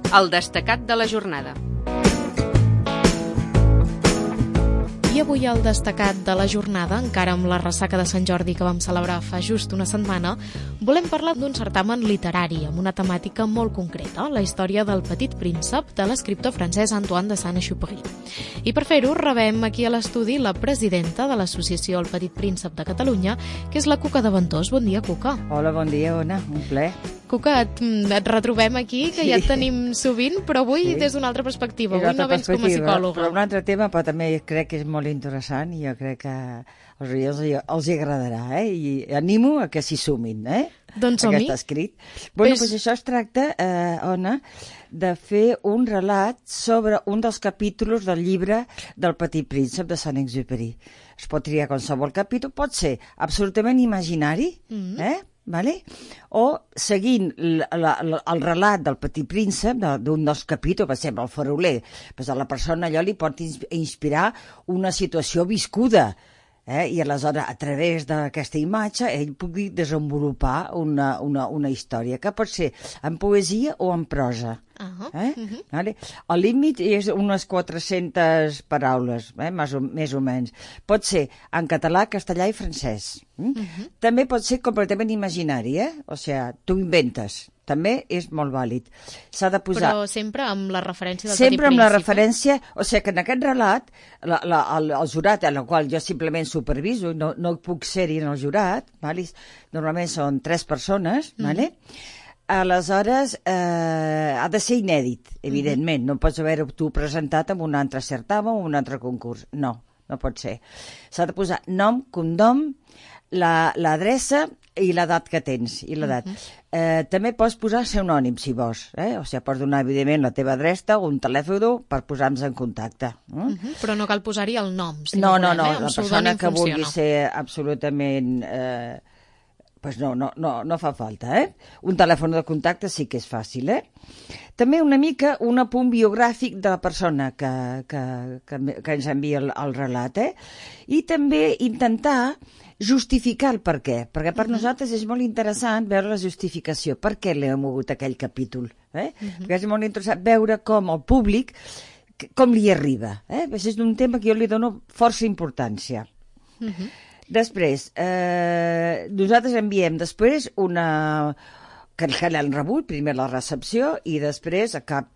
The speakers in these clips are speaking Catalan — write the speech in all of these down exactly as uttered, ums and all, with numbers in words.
El destacat de la jornada. I avui al destacat de la jornada, encara amb la ressaca de Sant Jordi que vam celebrar fa just una setmana, volem parlar d'un certamen literari amb una temàtica molt concreta, la història del Petit Príncep de l'escriptor francès Antoine de Saint-Exupéry. I per fer-ho rebem aquí a l'estudi la presidenta de l'associació El Petit Príncep de Catalunya, que és la Cuca de Ventós. Bon dia, Cuca. Hola, bon dia, Ona, un plaer. Cuca, et, et retrobem aquí, que sí. Ja et tenim sovint, però avui sí. Des d'una altra perspectiva. Avui no vens com a psicòloga. Però un altre tema, però també crec que és molt interessant i jo crec que als oients els agradarà, eh? I animo a que s'hi sumin, eh? Doncs som-hi. Aquest escrit. Bueno, doncs això es tracta, eh, Ona, de fer un relat sobre un dels capítols del llibre del Petit Príncep de Saint-Exupéry. Es pot triar qualsevol capítol, pot ser absolutament imaginari, mm-hmm. eh? Vale? O seguint la, la, la, el relat del Petit Príncep, d'un dels capítols, per exemple, el faroler, pues a la persona allò li pot inspirar una situació viscuda, eh? I aleshores, a través d'aquesta imatge, ell pugui desenvolupar una, una, una història, que pot ser en poesia o en prosa. Uh-huh. Eh? Uh-huh. Vale? El límit és unes quatre-centes paraules, eh? més, o, més o menys. Pot ser en català, castellà i francès. Mm? Uh-huh. També pot ser completament imaginari, eh? O sigui, tu inventes. També és molt vàlid. S'ha de posar... Però sempre amb la referència del sempre Petit Príncep. Sempre amb la referència... O sigui que en aquest relat, la, la, el, el jurat, en el qual jo simplement superviso, no, no puc ser-hi en el jurat, vale? Normalment són tres persones, mm-hmm. vale? Aleshores, eh, ha de ser inèdit, evidentment. Mm-hmm. No pots haver-ho tu presentat en un altre certamen o un altre concurs. No, no pot ser. S'ha de posar nom, cognom, l'adreça la, i l'edat que tens. I l'edat. Mm-hmm. eh, també pots posar pseudònim, si vols. Eh? O sigui, pots donar, evidentment, la teva adreça o un telèfon per posar-nos en contacte. Mm? Mm-hmm. Però no cal posar-hi el nom. Si no, no, no, no. Eh? La persona que funciona. Vulgui ser absolutament... Eh, pues no, no, no, no fa falta, eh? Un telèfon de contacte sí que és fàcil, eh? També una mica un apunt biogràfic de la persona que, que, que, que ens envia el, el relat, eh? I també intentar justificar el per què, perquè per uh-huh. nosaltres és molt interessant veure la justificació, per què l'hem mogut aquell capítol, eh? Uh-huh. Perquè és molt interessant veure com el públic, com li arriba, eh? És un tema que jo li dono força importància. Uh-huh. Després, eh, nosaltres enviem després una... que l'han rebut, primer la recepció i després a cap...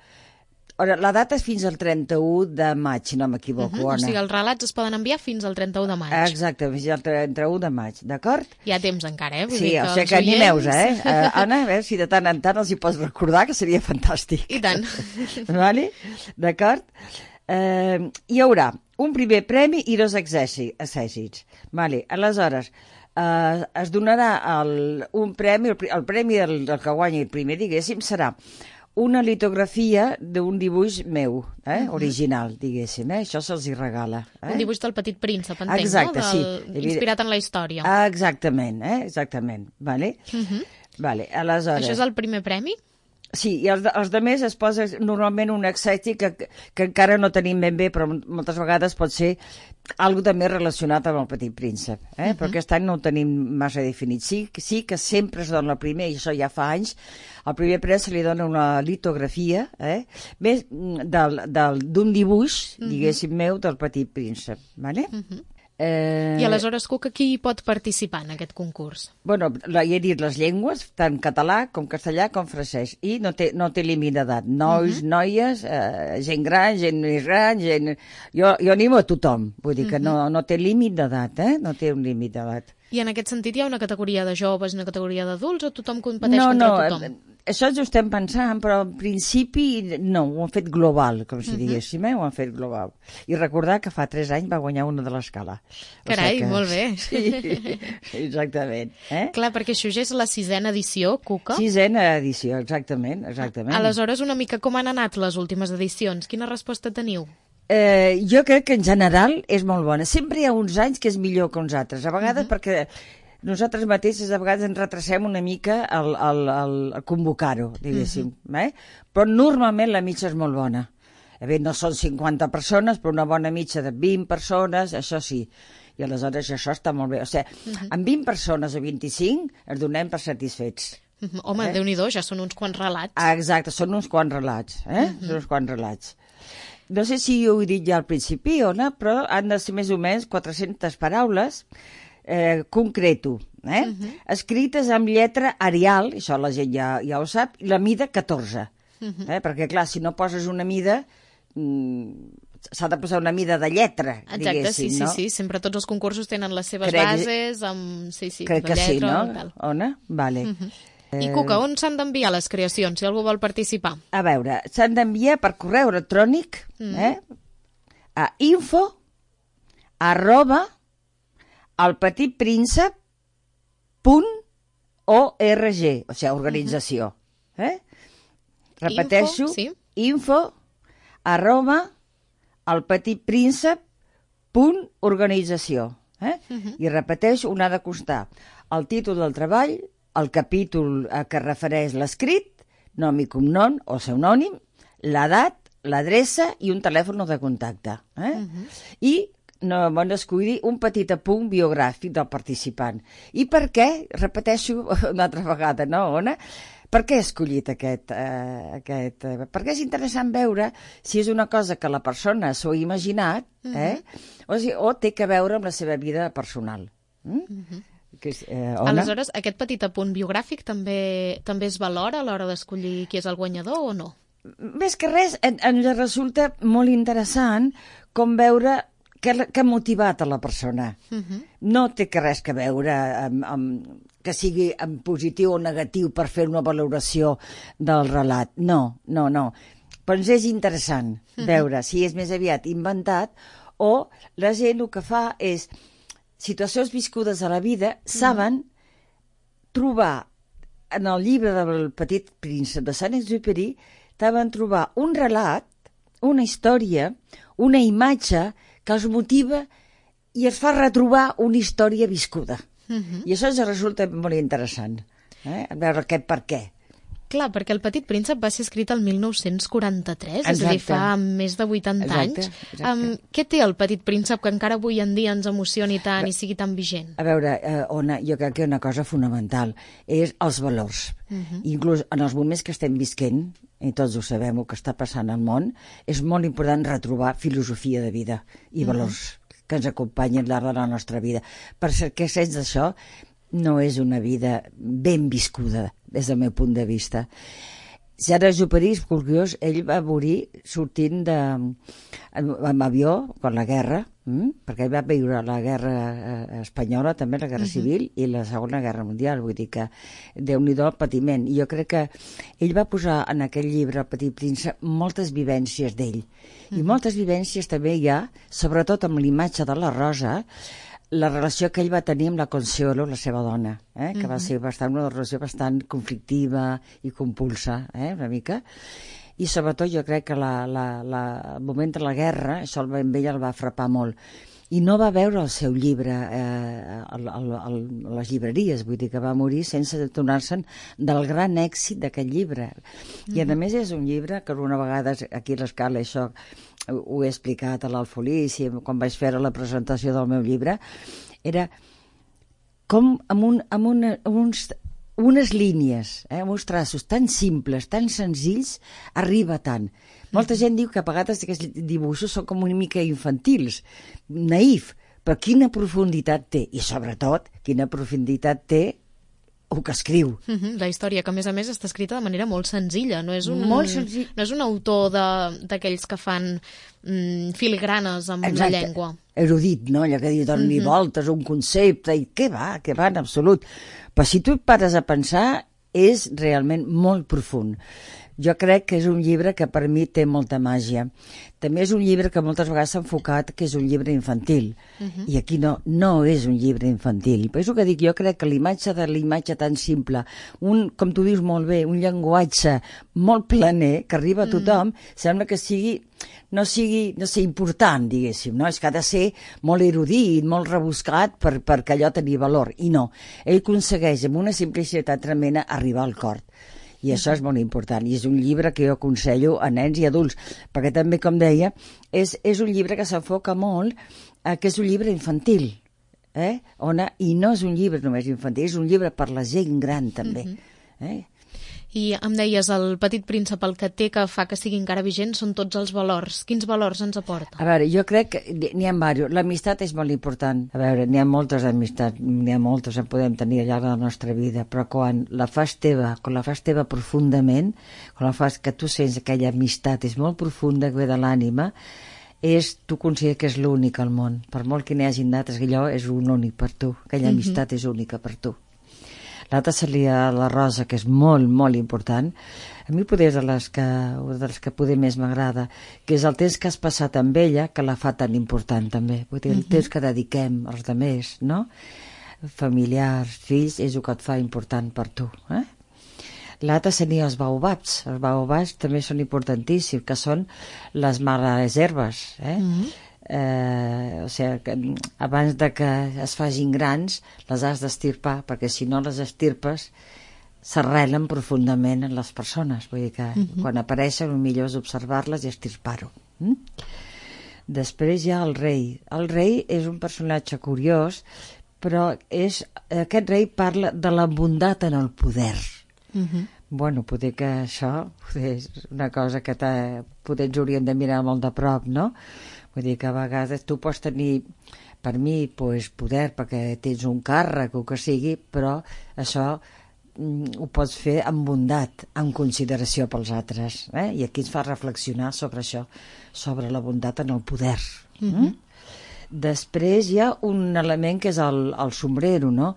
La data és fins al trenta-u de maig, si no m'equivoco. Uh-huh. O sigui, els relats es poden enviar fins al trenta-u de maig. Exacte, fins al trenta-u de maig, d'acord? Hi ha temps encara, eh? Vull sí, dir que o sigui que oients... animeu-vos, eh? Uh, Anna, a veure si de tant en tant els hi pots recordar, que seria fantàstic. I tant. Vale? D'acord? Eh, hi haurà un primer premi i dos accèssits. Vale. Aleshores, eh, es donarà el, un premi, el, el premi del, del que guanyi el primer, diguéssim, serà una litografia d'un dibuix meu, eh, uh-huh. original, diguéssim, eh? Això se'ls hi regala. Eh? Un dibuix del Petit Príncep, entenc, exacte, no? Del... sí. Inspirat en la història. Exactament, eh? Exactament. Vale? Uh-huh. Vale. Aleshores... Això és el primer premi? Sí, i els, els altres es posa normalment un accèssit que, que encara no tenim ben bé, però moltes vegades pot ser algo també relacionat amb el Petit Príncep, eh? Uh-huh. Però aquest any no ho tenim massa definit. Sí, sí que sempre es dona el primer, i això ja fa anys, al primer premi se li dona una litografia, eh? Més del, del, d'un dibuix, uh-huh. diguéssim, meu, del Petit Príncep, vale? Uh-huh. Eh... I aleshores, Cuca, qui pot participar en aquest concurs? Bueno, ja he dit les llengües, tant català com castellà com francès, i no té, no té límit d'edat. Nois, uh-huh. noies, eh, gent gran, gent més gran, gent... Jo, jo animo a tothom, vull dir que uh-huh. no, no té límit d'edat, eh? No té un límit d'edat. I en aquest sentit hi ha una categoria de joves i una categoria d'adults, o tothom competeix no, contra no, tothom? No, això ens ho estem pensant, però en principi no, ho han fet global, com si uh-huh. diguéssim, eh? Ho han fet global. I recordar que fa tres anys va guanyar una de l'escala. Carai, o sigui que... molt bé. Sí, exactament. Eh? Clar, perquè això ja és la sisena edició, Cuca. Sisena edició, exactament, exactament. Aleshores, una mica com han anat les últimes edicions? Quina resposta teniu? Eh, jo crec que en general és molt bona. Sempre hi ha uns anys que és millor que uns altres. A vegades uh-huh. perquè nosaltres mateixes a vegades ens retrasem una mica al, al, al, al convocar-ho, diguéssim. Uh-huh. eh? Però normalment la mitja és molt bona. A veure, no són cinquanta persones, però una bona mitja de vint persones, això sí. I aleshores això està molt bé. O sigui, uh-huh. amb vint persones o vint-i-cinc ens donem per satisfets. Home, eh? Déu-n'hi-do, ja són uns quants relats. Ah, exacte, són uns quants relats, eh? Mm-hmm. Són uns quants relats. No sé si ho he dit ja al principi, Ona, però han de ser més o menys quatre-centes paraules, eh, concreto, eh? Mm-hmm. Escrites amb lletra Arial, això la gent ja, ja ho sap, i la mida catorze. Mm-hmm. Eh? Perquè, clar, si no poses una mida... Mm, s'ha de posar una mida de lletra, exacte, diguéssim, sí, no? sí, sí, sempre tots els concursos tenen les seves crec, bases amb, sí, sí, crec de que lletra, sí, no? tal. Ona? Vale. Uh-huh. Eh... I Cuca, on s'han d'enviar les creacions, si algú vol participar? A veure, s'han d'enviar per correu electrònic, mm. eh? A info arroba elpetitpríncep punt org, o sigui, organització. Uh-huh. Eh? Repeteixo, info, sí. info arroba elpetitpríncep punt organització. Eh? Uh-huh. I repeteixo, un ha de constar el títol del treball, el capítol a què refereix l'escrit, nom i cognom o pseudònim, l'edat, l'adreça i un telèfon de contacte. Eh? Uh-huh. I no van escollir un petit apunt biogràfic del participant. I per què? Repeteixo una altra vegada, no, Ona? Per què he escollit aquest, eh, aquest... Eh, perquè és interessant veure si és una cosa que la persona s'ho ha imaginat, eh? Uh-huh. o, si, o té que veure amb la seva vida personal. Mm? Uh-huh. Que és, eh, Aleshores, aquest petit apunt biogràfic també també es valora a l'hora d'escollir qui és el guanyador o no? Més que res, en, ens resulta molt interessant com veure què, què ha motivat a la persona. Uh-huh. No té que res que veure amb, amb, que sigui en positiu o negatiu per fer una valoració del relat. No, no, no. Però ens és interessant uh-huh. veure si és més aviat inventat o la gent el que fa és situacions viscudes a la vida, saben uh-huh. trobar en el llibre del Petit Príncep de Saint-Exupéry, saben trobar un relat, una història, una imatge que els motiva i es fa retrobar una història viscuda. Uh-huh. I això ens resulta molt interessant, eh? A veure què, per què. Clar, perquè El Petit Príncep va ser escrit el mil nou-cents quaranta-tres, exacte. És a dir, fa més de vuitanta exacte, anys. Exacte. Um, què té El Petit Príncep que encara avui en dia ens emocioni tant i sigui tan vigent? A veure, eh, Ona, jo crec que una cosa fonamental és els valors. Uh-huh. Inclús en els moments que estem visquent, i tots ho sabem, el que està passant al món, és molt important retrobar filosofia de vida i valors uh-huh. que ens acompanyen al llarg de la nostra vida. Perquè sense això no és una vida ben viscuda, des del meu punt de vista. Saint-Exupéry, és curiós, ell va morir sortint de, amb avió, quan la guerra, hm? perquè ell va viure la guerra espanyola, també la guerra uh-huh. civil, i la segona guerra mundial, vull dir que Déu-n'hi-do el patiment. I jo crec que ell va posar en aquell llibre, El Petit Príncep, moltes vivències d'ell. Uh-huh. I moltes vivències també hi ha, sobretot amb l'imatge de la Rosa, la relació que ell va tenir amb la Consuelo, la seva dona, eh? que uh-huh. va ser bastant, una relació bastant conflictiva i compulsa, eh? una mica. I sobretot jo crec que la, la, la, el moment de la guerra, això el, amb ell el va frapar molt. I no va veure el seu llibre eh, a, a, a, a les llibreries, vull dir que va morir sense adonar-se'n del gran èxit d'aquest llibre. Uh-huh. I a més és un llibre que una vegada aquí a l'Escala, això ho he explicat a l'Alfolís i quan vaig fer la presentació del meu llibre, era com amb, un, amb, una, amb uns, unes línies, eh, amb uns traços tan simples, tan senzills, arriba tant. Molta gent diu que a vegades aquests dibuixos són com una mica infantils, naïf, però quina profunditat té, i sobretot quina profunditat té el que escriu. Uh-huh. La història, que a més a més està escrita de manera molt senzilla, no és un, molt senzill. No és un autor d'aquells que fan mm, filigranes amb exacte. La llengua. Erudit, no? Allò que diu, doni uh-huh. voltes, un concepte, i què va, què va en absolut. Però si tu et pares a pensar, és realment molt profund. Jo crec que és un llibre que per mi té molta màgia. També és un llibre que moltes vegades s'ha enfocat que és un llibre infantil. Uh-huh. I aquí no, no és un llibre infantil. Per això que dic, jo crec que l'imatge de l'imatge tan simple, un, com tu dius molt bé, un llenguatge molt planer, que arriba a tothom, uh-huh. sembla que sigui no sigui, no sé, important, diguéssim, no? És que ha de ser molt erudit, molt rebuscat per, perquè allò tenir valor. I no, ell aconsegueix amb una simplicitat tremenda arribar al cor. I això és molt important, i és un llibre que jo aconsello a nens i adults, perquè també, com deia, és, és un llibre que s'enfoca molt, eh, que és un llibre infantil, eh? On, i no és un llibre només infantil, és un llibre per la gent gran també. Uh-huh. Eh? I em deies, el Petit Príncep, el que té que fa que sigui encara vigent són tots els valors. Quins valors ens aporta? A veure, jo crec que n'hi ha diversos. L'amistat és molt important. A veure, n'hi ha moltes amistats, n'hi ha moltes en podem tenir al llarg de la nostra vida, però quan la fas teva, quan la fas teva profundament, quan la fas que tu sents aquella amistat, és molt profunda, que ve de l'ànima, és, tu consideres que és l'únic al món. Per molt que n'hi hagi d'altres, allò és un únic per tu. Aquella mm-hmm. amistat és única per tu. L'altra seria la Rosa, que és molt, molt important. A mi poder és de les que, de les que poder més m'agrada, que és el temps que has passat amb ella, que la fa tan important també. Vull dir, el temps que dediquem als altres, no? Familiars, fills, és el que et fa important per tu. Eh? L'altre seria els baobabs. Els baobabs també són importantíssims, que són les males herbes, eh? Mm-hmm. Eh, o sigui, que abans de que es facin grans les has d'estirpar, perquè si no les estirpes s'arrelen profundament en les persones, vull dir que uh-huh. quan apareixen el millor és observar-les i estirpar-ho. Mm? Després hi ha el rei. El rei és un personatge curiós, però és, aquest rei parla de la bondat en el poder. Uh-huh. Bueno, poder que això poder és una cosa que poder ens hauríem de mirar molt de prop, no? Vull dir que a vegades tu pots tenir, per mi, pues, poder perquè tens un càrrec o que sigui, però això mm, ho pots fer amb bondat, amb consideració pels altres. Eh? I aquí ens fa reflexionar sobre això, sobre la bondat en el poder. Mm-hmm. Mm? Després hi ha un element que és el, el sombrero, no?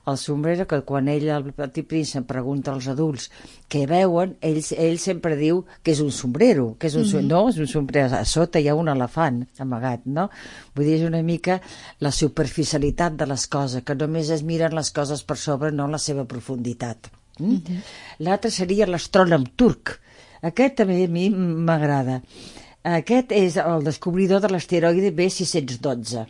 El sombrero, que quan ell, el Petit Príncep, pregunta als adults què veuen, ell, ell sempre diu que és un sombrero, que és un, mm-hmm. no, és un sombrero, a sota hi ha un elefant amagat, no? Vull dir, és una mica la superficialitat de les coses, que només es miren les coses per sobre, no la seva profunditat. Mm? Mm-hmm. L'altre seria l'astrònom turc. Aquest també a mi m'agrada. Aquest és el descobridor de l'asteroide B sis cents dotze.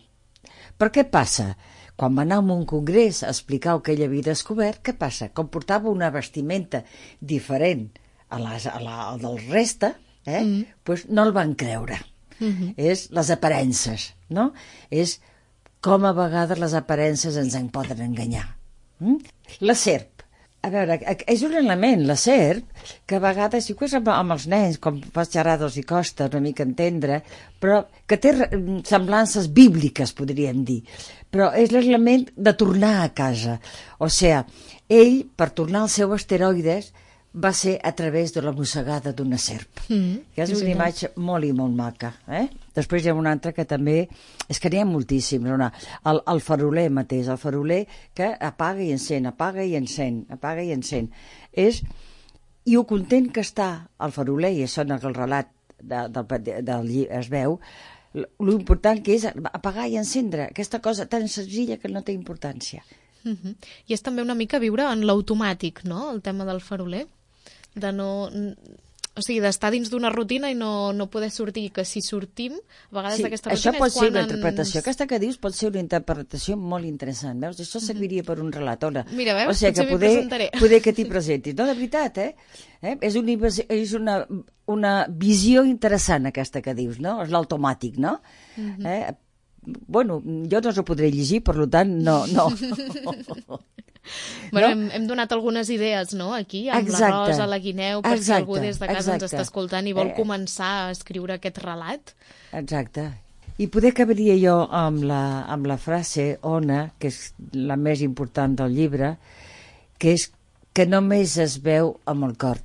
Per què passa? Quan va anar a un congrés a explicar el que ell havia descobert, què passa? Com portava una vestimenta diferent a la, a la, a del reste, eh? Mm. pues no el van creure. Mm-hmm. És les aparences, no? És com a vegades les aparences ens en poden enganyar. Mm? La serp. A veure, és un element, la serp, que a vegades, i amb, amb els nens, com fas xerrades i costa una mica entendre, però que té semblances bíbliques, podríem dir. Però és l'element de tornar a casa. O sigui, ell, per tornar al seu asteroides, va ser a través de la mossegada d'una serp. Mm, que és una sí, imatge molt i molt maca. Eh? Després hi ha una altra que també... És que n'hi ha moltíssims. No? El, el faroler mateix, el faroler que apaga i encén, apaga i encén, apaga i encén. És... I ho content que està el faroler, i això en el relat de, del, del llibre es veu, l'important que és apagar i encendre, aquesta cosa tan senzilla que no té importància. Uh-huh. I és també una mica viure en l'automàtic, no?, el tema del faroler, de no... O sigui, d'estar dins d'una rutina i no, no poder sortir, que si sortim, a vegades sí, d'aquesta rutina això pot és ser una ens... interpretació. Aquesta que dius pot ser una interpretació molt interessant, veus? Això serviria per un relat. Ona. Mira, veus? O sigui, potser que m'hi poder, presentaré. poder que t'hi presentis. No, de veritat, eh? eh? És, una, és una, una visió interessant, aquesta que dius, no? És l'automàtic, no? Uh-huh. eh? Bueno, jo no s'ho podré llegir, per tant, no... no. Bueno, no? hem, hem donat algunes idees, no?, aquí, amb exacte. la Rosa, la Guineu, per exacte. si algú des de casa exacte. ens està escoltant i vol eh. començar a escriure aquest relat. Exacte. I poder acabaria jo amb la, amb la frase, Ona, que és la més important del llibre, que és que només es veu amb el cor.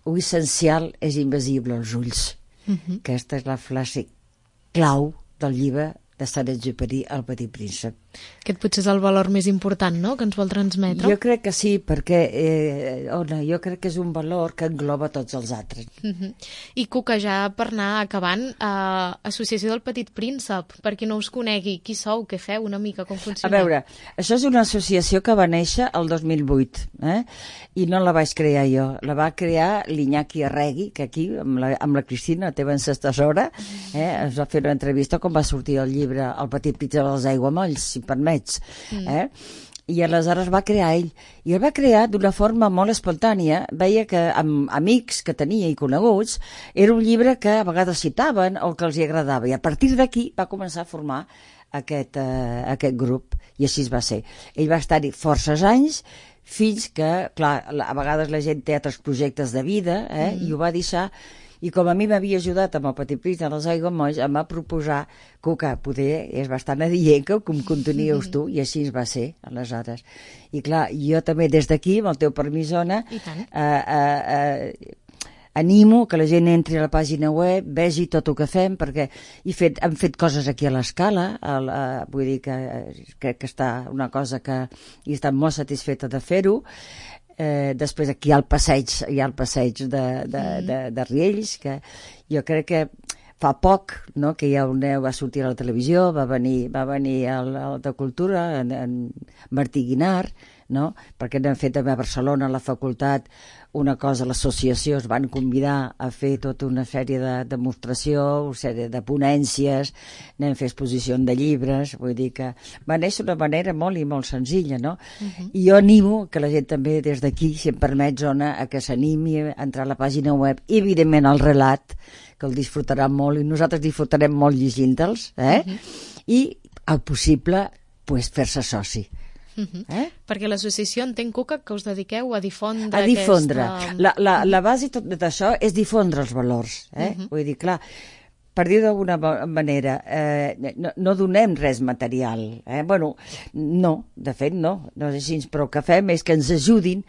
Lo essencial és invisible als ulls. Uh-huh. Aquesta és la frase clau del llibre de Saint-Exupéry, El Petit Príncep. Aquest potser és el valor més important, no?, que ens vol transmetre. Jo crec que sí, perquè eh, Ona, jo crec que és un valor que engloba tots els altres. Uh-huh. I Cuca, ja per anar acabant, eh, Associació del Petit Príncep, per qui no us conegui, qui sou, què feu, una mica, com funciona? A veure, això és una associació que va néixer el dos mil vuit, eh? I no la vaig crear jo, la va crear l'Iñaki Arregui, que aquí, amb la, amb la Cristina, la teva ancestessora, eh, es va fer una entrevista quan va sortir el llibre El Petit Príncep dels Aiguamolls, si permets, mm. eh? I aleshores va crear ell, i el va crear d'una forma molt espontània. Veia que amb amics que tenia i coneguts era un llibre que a vegades citaven o que els hi agradava, i a partir d'aquí va començar a formar aquest, eh, aquest grup, i així va ser. Ell va estar-hi forces anys fins que, clar, a vegades la gent té altres projectes de vida, eh, mm. i ho va deixar. I com a mi m'havia ajudat amb el Petit Príncep dels Aiguamolls, em va proposar que poder, és bastant adient que em continuïus tu, i així va ser, aleshores. I clar, jo també des d'aquí, amb el teu permís, Ona, eh, eh, eh, animo que la gent entri a la pàgina web, vegi tot el que fem, perquè he fet, hem fet coses aquí a l'Escala, uh, vull dir que crec que està una cosa que he estat molt satisfeta de fer-ho. Eh, després aquí hi ha el passeig, hi ha el passeig de, de, de, de Riells, que jo crec que fa poc, no, que ja Neu va sortir a la televisió, va venir, va venir al, al de Cultura, en, en Martí Guinart, no? Perquè n'hem fet també a Barcelona, a la facultat, una cosa, l'associació es van convidar a fer tota una sèrie de demostració, una sèrie de ponències, anem a fer exposició de llibres, vull dir que va néixer d'una manera molt i molt senzilla, no? Uh-huh. I jo animo que la gent també des d'aquí, si em permet, Ona, a que s'animi a entrar a la pàgina web, i evidentment el relat, que el disfrutarà molt, i nosaltres disfrutarem molt llegint-los, eh? Uh-huh. I, al possible, pues, fer-se soci. Uh-huh. Eh? Perquè l'associació entenc, Cuca, que us dediqueu a difondre a difondre. Aquesta... La, la, la base tot d'això és difondre els valors, eh? Uh-huh. Vull dir, clar, per dir d'alguna manera, eh, no, no donem res material, eh? Bueno, no, de fet no, no és així, però el que fem és que ens ajudin.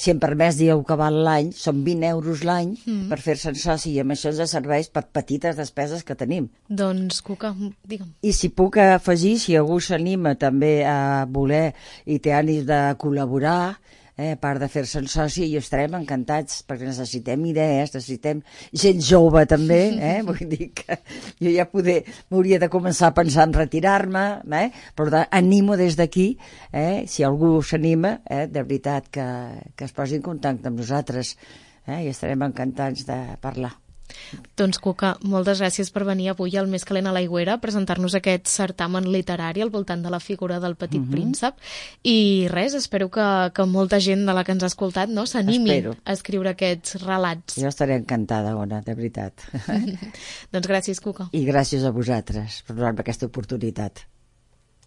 Si em permès dir que val l'any, són vint euros l'any mm. per fer-se'n soci, i amb això ens serveix per petites despeses que tenim. Doncs, Cuca, digue'm. I si puc afegir, si algú s'anima també a voler i té ànims de col·laborar, eh, a part de fer-se'n soci, i estarem encantats, perquè necessitem idees, necessitem gent jove també, eh? Vull dir que jo ja poder, m'hauria de començar a pensar en retirar-me, eh? Però animo des d'aquí, eh? Si algú s'anima, eh? De veritat que, que es posi en contacte amb nosaltres, eh? I estarem encantats de parlar. Doncs, Cuca, moltes gràcies per venir avui al Més calent a l'aigüera a presentar-nos aquest certamen literari al voltant de la figura del Petit uh-huh. Príncep, i res, espero que, que molta gent de la que ens ha escoltat, no, s'animi a escriure aquests relats. Jo estaré encantada, Ona, de veritat. Doncs gràcies, Cuca. I gràcies a vosaltres per donar-me aquesta oportunitat.